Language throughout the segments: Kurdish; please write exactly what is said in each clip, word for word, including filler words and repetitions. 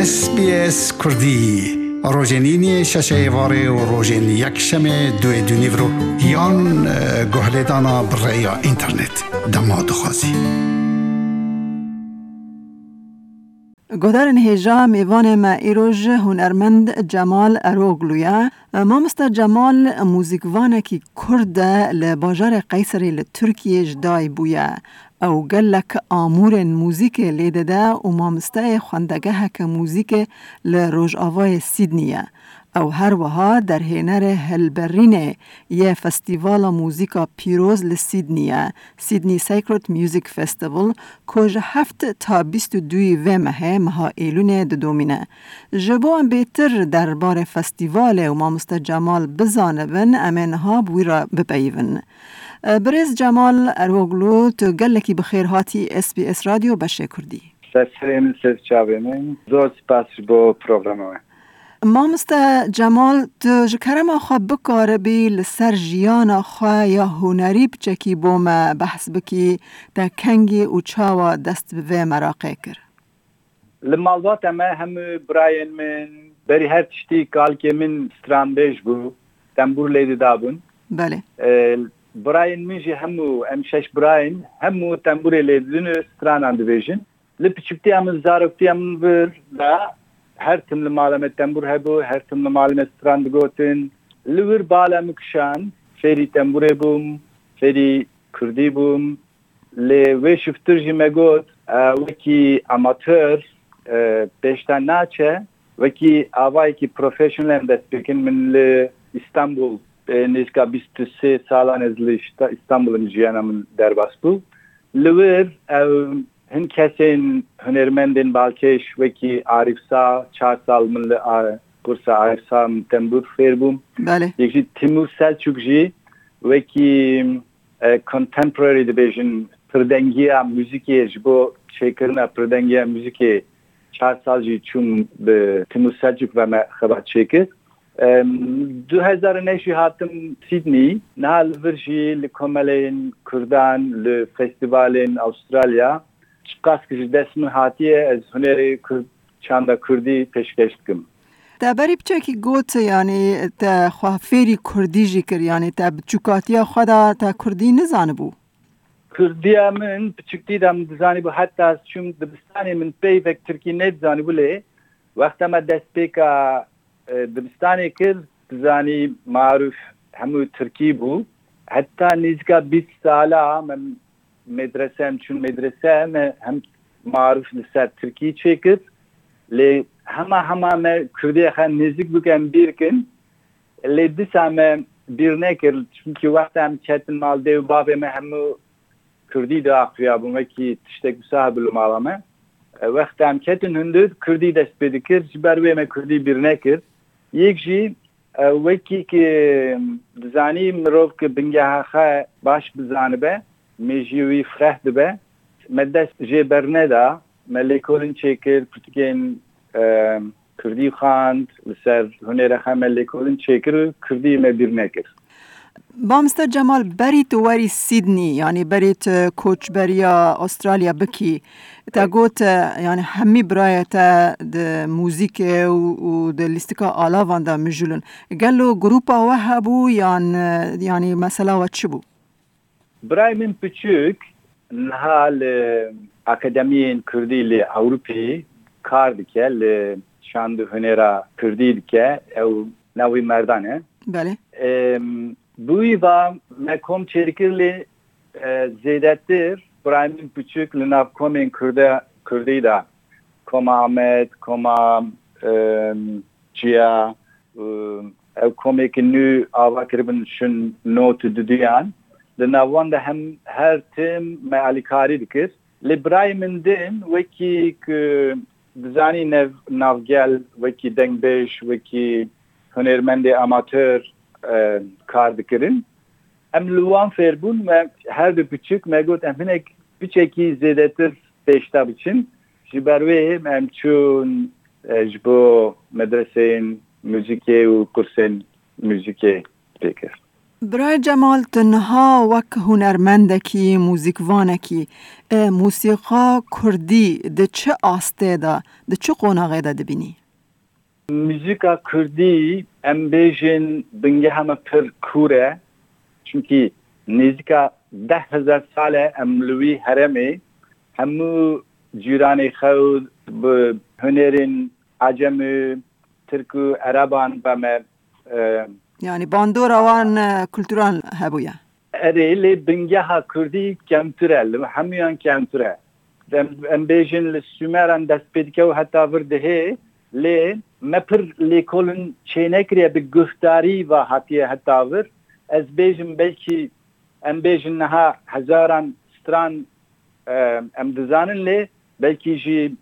S B S Kurdî, rojên îniyê şeşê êvarê û rojên yekşemê duê dûnîvro yan, e, guhlêdana bi rêya înternet. Dema dixwazî. Guhdarên hêja, mêvanê me îroj hunermend Cemal Eroglu ye. Mamoste Cemal muzîkvanekî Kurd e, li bajarê Qeyserê li Tirkiyê ji dayî bûye. Ew gelek amûrên muzîkê lê dide û mamosteyê xwendegeheke muzîkê li rojavayê Sydney ye. Ew her wiha derhênerê hilberînê yê Festîvala Muzîka Pîroz li Sydney ye, Sydney Sacred Music Festival, ku ji heft ta bîst û duyê vê mehê, meha Êlûnê didomîne. Ji bo em bêtir derbarê festîvalê û mamoste Cemal bizanibin, em ê niha bi wî re bipeyivin. Birêz Cemal Eroglu, tu gelekî bi xêr hatî S B S Radyo Beşê Kurdî. Ser serê min, ser çavê min. Zor spas ji bo programa we. Mamoste Cemal, tu ji kerema xwe bikaribî li ser jiyana xwe ya hunerî piçekî bo me behs bikî, te kengî û çawa dest bi vê meraqê kir? Li malbata me hemû birayên min, berî her tiştî kalkê min stranbêj bû, tembûr lê didabûn. Belê. E, birayên min jî hemû, em şeş birayên, hemû tembûrê lê didin û stranan dibêjin. Li piçûktiya min, zaroktiya min vir de her tim li mala me tembûr hebû, her tim li mala me stran digotin. Li wir bala min kişand, fêrî tembûrê bûm, fêrî kurdî bûm. Lê wê şiftir jî me got, e, wekî amatör, e, pêşta naçe, wekî avayekî professional em dest pê kin. Min li Îstanbul, e, nêzîka bîst û sê salan ez li Şta-, Îstanbul im, jiyana min derbas bû. Li wir ew hin kesên hunermendên balkêş wekî Arîf Sa, çar sal min li a-, kursa Arîf Sa min tembûr fêr bûm. Belê. Yek jî Timur Selçuk jî wekî, e, contemporary dibêjin, pirdengiya muzîkê, ji bo çêkirina pirdengiya muzîkê çar sal jî çûm bi Timur Selçuk ve me xebat çêkir. Em, du hezar û neh jî hatim Sydney. Niha li vir jî li komeleyên Kurdan, li festîvalên Avustralya, çiqas ki ji dest min hatiye, ez hunerê Kurd, çanda Kurdî pêşkeş dikim. Te berî piçekî got, yanî te xwe fêrî Kurdî jî kir, yanî te bi çûkatiya xwe de te Kurdî nizanibû? Kurdiya min piçûktî de min dizanîbû, heta ez çûm dibistanê min peyvek Tirkî nedizanîbû, lê wexta me destpêka, e, dibistanê kir, dizanî marûf hemû Tirkî bû. Heta nêzîka bîst sala me medrese, em çûn medrese, me hem marûf li ser Tirkî çêkir. Lê hema hema me Kurdiyê xwe nêzîk bûk em bîr kin. Lê dîsa me bîr nekir, çimkî wexta em ketin mal, dê û bavê me hemû Kurdî diaxiviyabûn, wekî tiştek wisa hebû li mala me. E, wexta em ketin hundir, Kurdî dest pê dikir, ji ber wê me Kurdî bîr nekir. Yek jî, e, wekî ki dizanî, mirov ki bingeha xwe baş bizanibe, mêjiyê wî fireh dibe. Me dest jê berneda, me lêkolin çêkir, pirtûkên, e, Kurdî xwend, li ser hunêra xwe me lêkolin çêkir û Kurdî me bîr nekir. Mamoste Cemal, berî tu werî Sydney, yanî berî tu koçberiya Astralya bikî, te got, e, yanî hemî birayê te di muzîkê û, û di lîstika alavan de mijûl in. Gelo grûpa we hebû yan, e, yanî mesela we çi bû? Birayê min piçûk niha li akademiyên Kurdî li Ewropî kar dike, li şand û hunêra Kurdî dike. Ew navî Merdan e. Belê. Em, bi wî va me kom çêdikir, lê, e, zêdetir birayê min piçûk li nav komên Kurde, Kurdî de, Koma Amed, Koma, em, Çiya, û ew komêkî nû ava kiribin şin not û diduyan. Di nav wan de hem her tim me alîkarî dikir. Lê birayê min din, wekî ku dizanî nev-, navgel, wekî dengbêj, wekî hunermendê amatör, e, kar dikirin. Em li wan fêr bûn, me her du piçûk me got, em hinek piçekî zêdetir pêşta biçin. Ji ber wê em çûn, e, ji bo medreseyên muzîkê û kursên muzîkê pê kir. Birayê Cemal, tu niha wek hunermendekî, muzîkvanekî, e, mûsîqa kurdî di çi astê de, di çi qonaxê de dibînî? Muzîka kurdî, em bêjin, bingeha me pir kûr e. Çimkî nêzîka deh hezar sal e em li wî herêmê, hemû cîranê xew bi hunerên Ecem û Tirk û Ereban ve me, e, Yanî bandora wan, e, kulturan hebûye. Erê, lê bingeha kurdî kemtir e, li hemûyan kemtir e. Em, em bêjin li Sumeran dest pê dike û heta vir dihê, lê me pir lêkolin çênekiriye, bi guhdarî ve hatiye heta vir. Ez bêjim belkî, em bêjin niha hezaran stran, e, em dizanin, lê belkî jî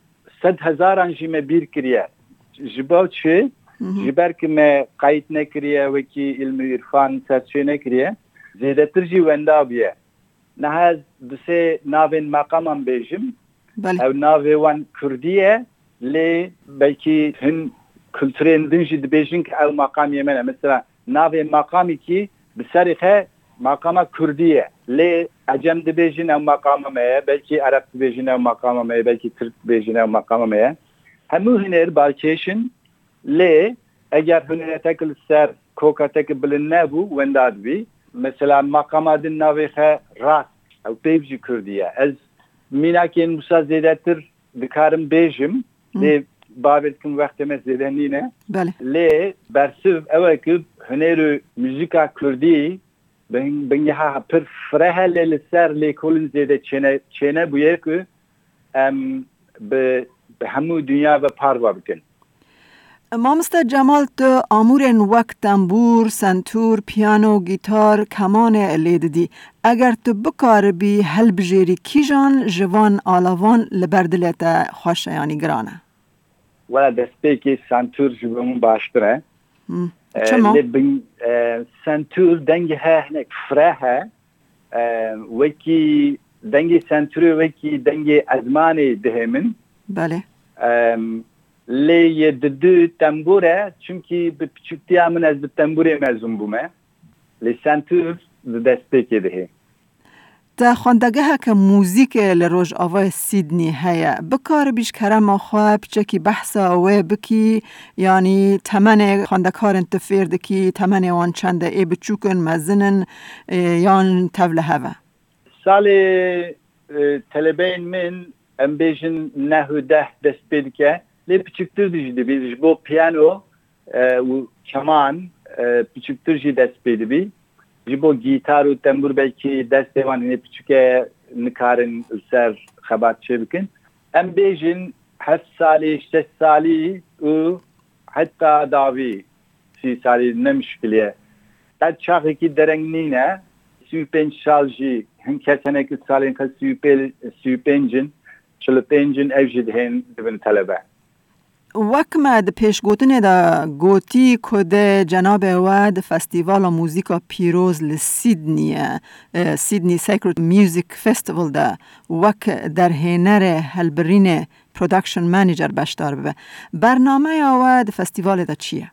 sed hezaran jî me bîr kiriye. Ji bo çi? Hı hı. Ji ber ku me qeyd nekiriye, wekî îlm û îrfan serçê nekiriye. Zêdetir jî wenda bûye. Niha ez du sê navên meqaman bêjim. Belê. Ew navê wan kurdî ye, lê belkî hin kulturên din jî dibêjin ku ew maqamê me ne. Mesela navê maqamekî bi serê xwe maqama kurdî ye. Lê Ecem dibêjin ew maqama me ye, belkî Ereb dibêjin ew maqama me ye, belkî Tirk dibêjin ew maqama me ye. Hemû huner balkêş in, lê eger hunerek li ser koka te ki bilind nebû, wenda dibî. Mesela maqama din navê xwe rast, ew peyv jî kurdî ye. Ez mînakên wisa zêdetir dikarim bêjim, Hı. lê bawer dikim wextê me zêde nîne. Belê. Lê bersiv ew e ku huner û muzîka kurdî bin-, bingeha pir fireh e, lê li ser lêkolin zêde çêne, çêne bûye ku em bi, bi hemû dinya ve parva bikin. Mamoste Cemal, tu amûrên wek tembûr, sentûr, piyano, gîtar, kemanê lê didî. Eger tu bikaribî helbijêrî, kîjan ji van alavan li ber dilê te xweş e, yanî giran e? Wela destpêkê sentûr ji bo min baştir e. Hmm. E, Çima? Lê bin, e, sentûr dengê he hinek fireh e. E, wekî dengê sentûrê, wekî dengê ezmanê dihê min. Belê. E, lê yê didu tembûr e, çimkî bi piçûktiya min ez bi tembûrê mezûn bûme. Lê sentûr di destpêkê dihê. Te xwendegeheke muzîkê li Rojavayê Sydney heye. Bikaribî ji kerema xwe piçekî behsa wê bikî, yanî temenê xwendekarên tu fêr dikî, temenê wan çend e, ê biçûk in, mezin in, ê, yan tev li hev e? Salê, e, telebeyên min, em bêjin neh û deh dest pê dike, lê piçiktir jî dibî, ji bo piyano, e, û keman, e, piçiktir jî dest pê dibî. Ji bo gîtar û tembûr belkî destê wan hinê piçik e, nikarin li ser xebat çê bikin. Em bêjin heft salî, şeş salî û heta dawî sî salî ne mişkil e. Qet çaxekî dereng nîne. Sî û pênc sal jî hin kes hene ku salên xwe sî û pênc, sî û pênc in, çil û pênc in, ev jî dihên dibin telebe. Wek me di pêşgotinê de gotî ku dê cenabê we di Festîvala Muzîka Pîroz li Sydneyê, e, Sydney Sacred Music Festival de wek derhênerê helbirînê, production manager, beşdar bibe. Bernameya we di festîvalê de çi ye?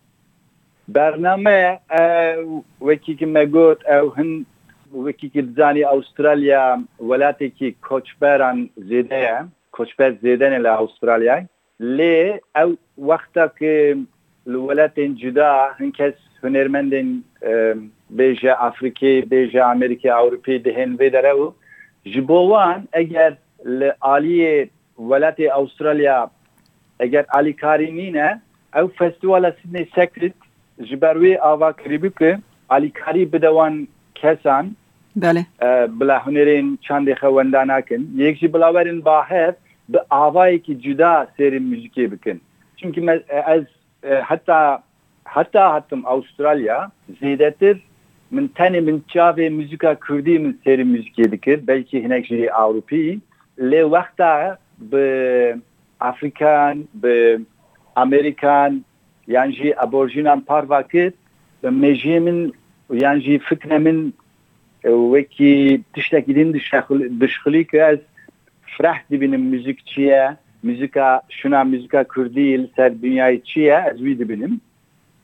Bername, e, wekî ki me got, ew hin, wekî ki dizanî, Avustralya welatekî koçberan zêde ye. Koçber zêde ne li Avustralyayê. Lê ew wexta ki li welatên cuda hin kes hunermendên, e, bêje Afrîkê, bêje Amerîkê, Ewropê dihên vê dere û ji bo wan eger li aliyê welatê Avustralya eger alîkarî nîne, ew festîvala Sydney Sacred ji ber wê ava kirîbû ku alîkarî bide wan kesan, Belê. e, bila hunerên çandê xwe wenda nakin. Yek jî bila werin ba hev bi avayekî cuda sêrê muzîkê bikin. Çimkî me, e, ez, e, heta, heta hatim Avustralya, zêdetir min tenê min çavê muzîka kurdî min sêrê muzîkê dikir, belkî hinek jî Ewropî. Lê wexta bi Afrikan, bi Amerîkan yan jî Aborjînan parva kir, bi mêjiyê min yan jî fikre min, e, wekî tiştekî din dişexul-, dişxulî ku ez fireh dibînim muzîk çi ye, muzîka şuna, muzîka kurdî li ser dinyayê çi ye, ez wî dibînim.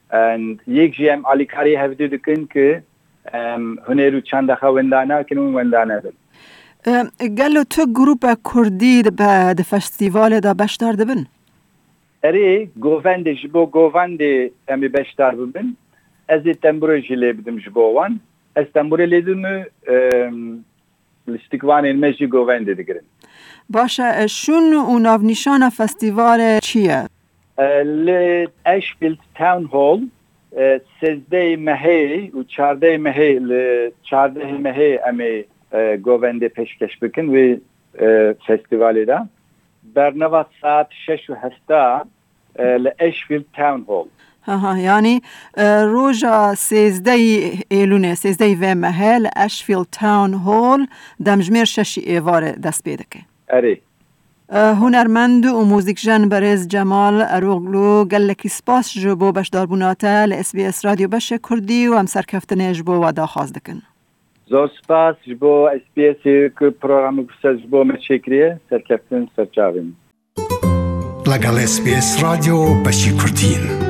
And yek jî em alîkarî hevdû dikin ku, Em, huner û çanda xwe wenda nakin û wenda nebin. Em, gelo tu grupa kurdî di be-, di festîvalê de beşdar dibin? Erê, govendê, ji bo govendê em ê beşdar bibin. Ez ê tembûrê jî lê bidim ji bo wan. Ez tembûrê lê didim û, em, lîstikvanên me jî govendê digirin. Baş e, e, şûn û navnîşana festîvalê çi ye? E, li Ashfield Town Hall, e, sêzdehê mehê û çardehê mehê, li çardehê mehê em ê, e, govendê pêşkeş bikin wê, e, festîvalê de. Bernava saet şeş û hevdeh, e, li Ashfield Town Hall. Ha ha, yanî, e, roja sêzdehê Êlûnê, sêzdehê vê mehê li Ashfield Town Hall demjimêr şeşî êvarê dest pê dike. Erê. E, hunermend û muzîkjen berêz Cemal Eroglu, gelekî spas ji bo beşdarbûna te li S B S Radyo Beşê Kurdî û em serkeftinê ji bo we daxwaz dikin. Zor spas ji bo S B S ê ku programê ku ser ji bo me çêkiriye, serkeftin ser çavên. لەگەڵ S B S رادیۆ بەشی کوردین.